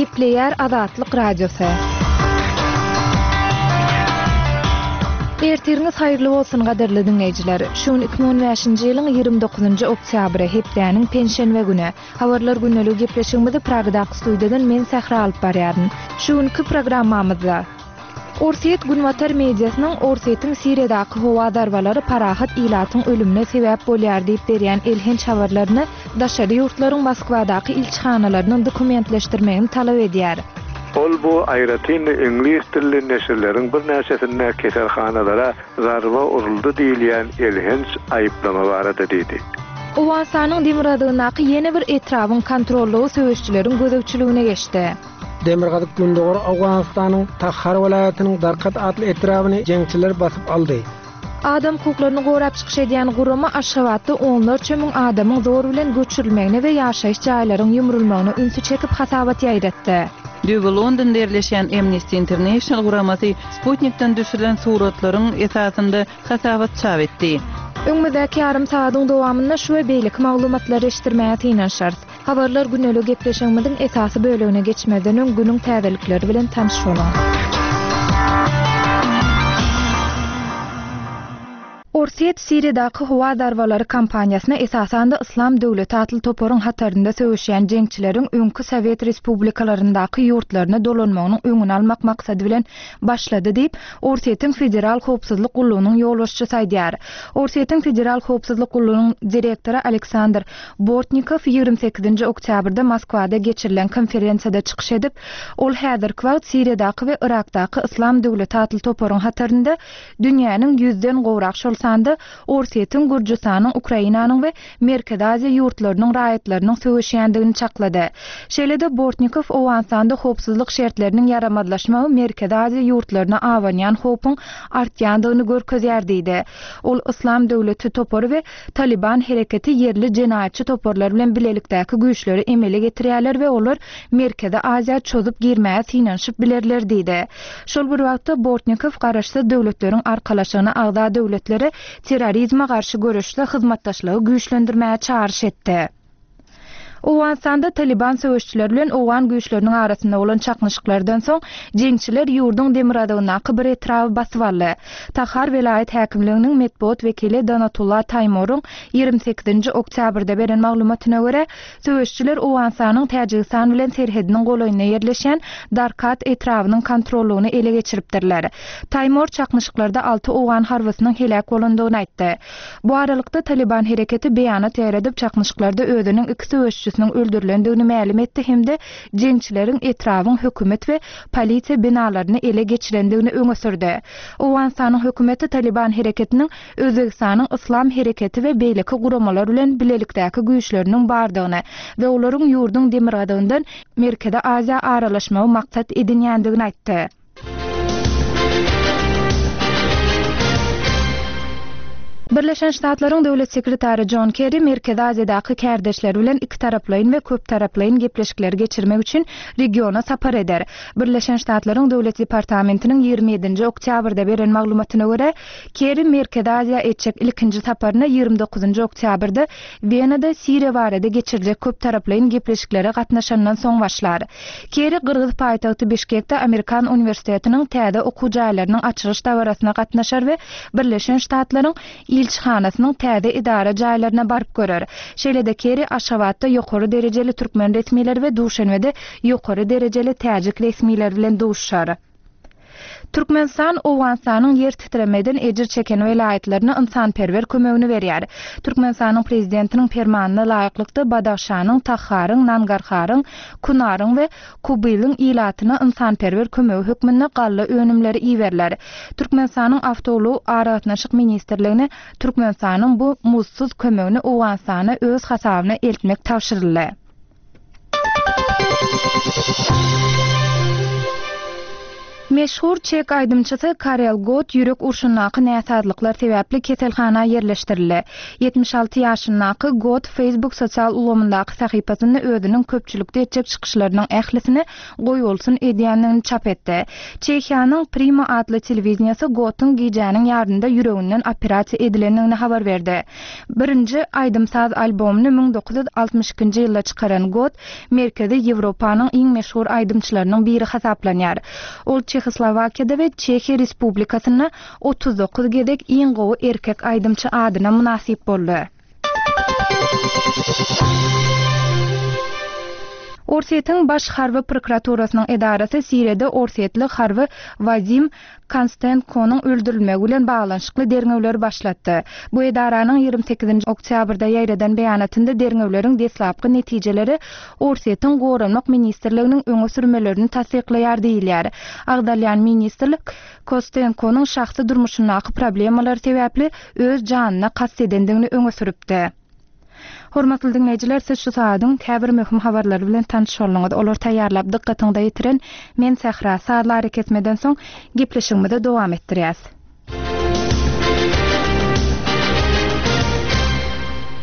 Gepleýär Azatlyk Radiosy. Ertiriňiz haýyrly bolsun gadyrly diňleýjiler. Şu gün 2015-nji ýylyň 29-njy oktýabry, hepdäniň penşenbe güni. Habarlar gündeligi gepleşigimizi Pragadaky studiýadan men Sähra alyp barýaryn. Şu günki programmamyzda. Orsýet günbatar mediasynyň Orsýetiň Siriýadaky howa zarbalary parahat ilatyň ölümine sebäp bolýar diýip berýän elhenç habarlaryny daşary ýurtlaryň Moskwadaky ilçihanalarynyň dokumentleşdirmegini talap edýär. Ol bu aýratyn-da iňlis dilli neşirleriň birnäçesinde keselhanalara zarba uruldy diýilýän elhenç aýyplama barada diýdi. Owganystanyň demirgazygyndaky ýene bir etrabyň kontrollygy söweşijileriň gözegçiligine geçdi. Demirgazyk-gündogar Owganystanyň Takhar welaýatynyň Darkat atly etrabyny jeňçiler basyp aldy. Adam hukuklaryny gorap çykyş edýän gurama Aşgabatda onlarça müň adamyň zor bilen göçürilmegine we ýaşaýyş jaýlaryň ýumrulmagyna ünsi çekip hasabat ýaýratdy. Düýbi Londonda ýerleşýän Amnesty International guramasy sputnikden düşürilen suratlaryň esasynda hasabat çap etdi. Öňümizdäki ýarym sagadyň dowamynda şu we beýleki maglumatlary eşitdirmäge synanyşarys. Habarlar gündelik gepleşigimiziň esasy bölegine geçmezden öň günüň täzelikleri bilen tanyş boluň. Orsýet Siriýadaky howa zarbalary kampaniýasyna esasanda Yslam döwleti atly toparyň hatarynda söweşýän jeňçileriň öňki sowet respublikalaryndaky ýurtlaryna dolanmagynyň öňüni almak maksady bilen başlady diýip, Orsýetiň Federal howpsuzlyk gullugynyň ýolbaşçysy aýdýar. Orsýetiň Federal howpsuzlyk gullugynyň direktory Aleksandr Bortnikow 28-nji oktýabrda Moskwada geçirilen konferensiýada çykyş edip, ol häzirki wagt Siriýadaky we Yrakdaky Yslam döwleti atly toparyň hatarynda dünýäniň ýüzden gowrak, şol sanda Orsýetiň, Gürjüstanyň, Ukrainanyň we Merkezi Aziýa ýurtlarynyň raýatlarynyň söweşýändigini çaklady. Şeýle-de Bortnikow Owganystanda howpsuzlyk şertleriniň ýaramazlaşmagy Merkezi Aziýa ýurtlaryna abanýan howpuň artýandygyny görkezýär diýdi. Ol Yslam döwleti topary we Talyban hereketi ýerli jenaýatçy toparlar bilen bilelikdäki güýçleri emele getirýärler we olar Merkezi Aziýa çozup girmäge synanyşyp bilerler diýdi. Şol bir wagtda, Bortnikow Garaşsyz Döwletleriň Arkalaşygyna agza döwletleri terrorizme garşy göreşde hyzmatdaşlygy güýçlendirmäge çagyryş etdi. Owganystanda Talyban söweşçileri bilen owgan güýçleriniň arasynda bolan çaknyşyklardan soň, jeňçiler ýurduň demirgazygyndaky bir etraby basyp aldy. Tahar welaýat häkimliginiň metbugat wekili Donatullah Taýmoryň 28-nji oktýabrda beren maglumatyna görä, söweşçiler Owganystanyň Täjigistan bilen serhediniň golaýynda ýerleşýän Darkat etrabynyň kontrollygyny ele geçiripdirler. Taýmor çaknyşyklarda alty owgan harbysynyň heläk bolandygyny aýtdy. Bu aralykda, Talyban hereketi beýanat ýaýradyp, çaknyşyklarda özüniň iki söweşijisiniň öldürilendigini mälim etdi hem-de jeňçileriň etrabyň hökümet we polisiýa binalaryny ele geçirendigini öňe sürdi. Owganystanyň hökümeti Talyban hereketiniň Özbegistanyň Yslam hereketi we beýleki guramalar bilen bilelikdäki güýçleriniň bardygyny we olaryň ýurduň demirgazygyndan Merkezi Aziýa aralaşmagy maksat edinýändigini aýtdy. Birleşen Ştatlaryň Döwlet sekretary Jon Kerri Merkezi Aziýadaky kärdeşleri bilen ikitaraplaýyn we köptaraplaýyn gepleşikleri geçirmek üçin regiona sapar eder. Birleşen Ştatlaryň Döwlet departamentiniň 27-nji oktýabrda beren maglumatyna görä, Kerri Merkezi Aziýa etjek ilkinji saparyna 29-njy oktýabrda Wenada Siriýa barada geçiriljek köptaraplaýyn gepleşiklere gatnaşandan soň başlar. Kerri gyrgyz paýtagty Bişkekde Amerikan uniwersitetiniň täze okuw jaýlarynyň açylyş dabarasyna gatnaşar we Birleşen Ştatlaryň ilçihanasynyň täze edara jaýlaryna baryp görer. Şeýle-de Kerri Aşgabatda ýokary derejeli türkmen resmileri we Duşenbede ýokary derejeli täjik resmileri bilen duşuşar. Türkmenistan Owganystanyň ýer titremeden ejir çeken welaýatlaryna ynsanperwer kömegini berýär. Türkmenistanyň Prezidentiniň Permanyna laýyklykda Badahşanyň, Taharyň, Nangarharyň, Kunaryň we Kubylyň ilatyna ynsanperwer kömegi hökmünde galla önümleri iberiler. Türkmenistanyň Awtoulag aragatnaşyk ministrligine Türkmenistanyň bu muzdsuz kömegini Owganystana öz hasabyna eltmek tabşyryldy. Meşhur çek aýdymçysy Karel Gott ýürek urşundaky näsazlyklar sebäpli keselhana ýerleşdirildi. 76 ýaşyndaky Gott Facebook sosial ulgamyndaky sahypasynda özüniň köpçülikde etjek çykyşlarynyň ählisini goýbolsun edýändigini çap etdi. Çehiýanyň Prima atly telewideniýesi Gottuň gijäniň ýarynda ýüreginden operasiýa edilendigini habar berdi. Birinji aýdym-saz albomyny 1962-nji ýylda çykaran Gott Merkezi Ýewropanyň iň meşhur aýdymçylarynyň biri hasaplanýar. Ol Çehoslowakiýada we Çehiýa Respublikasynda 39 gezek iň gowy erkek aýdymçy adyna mynasyp boldy. Orsýetiň Baş harby prokuraturasynyň edarasy Siriýada orsýetli harby Wadim Konstenkonyň öldürilmegi bilen baglanyşykly derňewleri başlatdy. Bu edaranyň 28-nji oktýabrda ýaýradan beýanatynda derňewleriň deslapky netijeleri Orsýetiň Goranmak ministrliginiň öňe sürmelerini tassyklaýar diýilýär. Agzalýan ministrlik Kostenkonyň şahsy durmuşyndaky problemalar sebäpli öz janyna kast edendigini öňe sürüpdi. Hormatly diňleýjiler, siz şu sagadyň käbir möhüm habarlary bilen tanyş bolduňyz. Olary taýýarlap dykgatyňyza ýetiren men Sähra. Sazly arakesmeden soň gepleşigimizi dowam etdirýäs.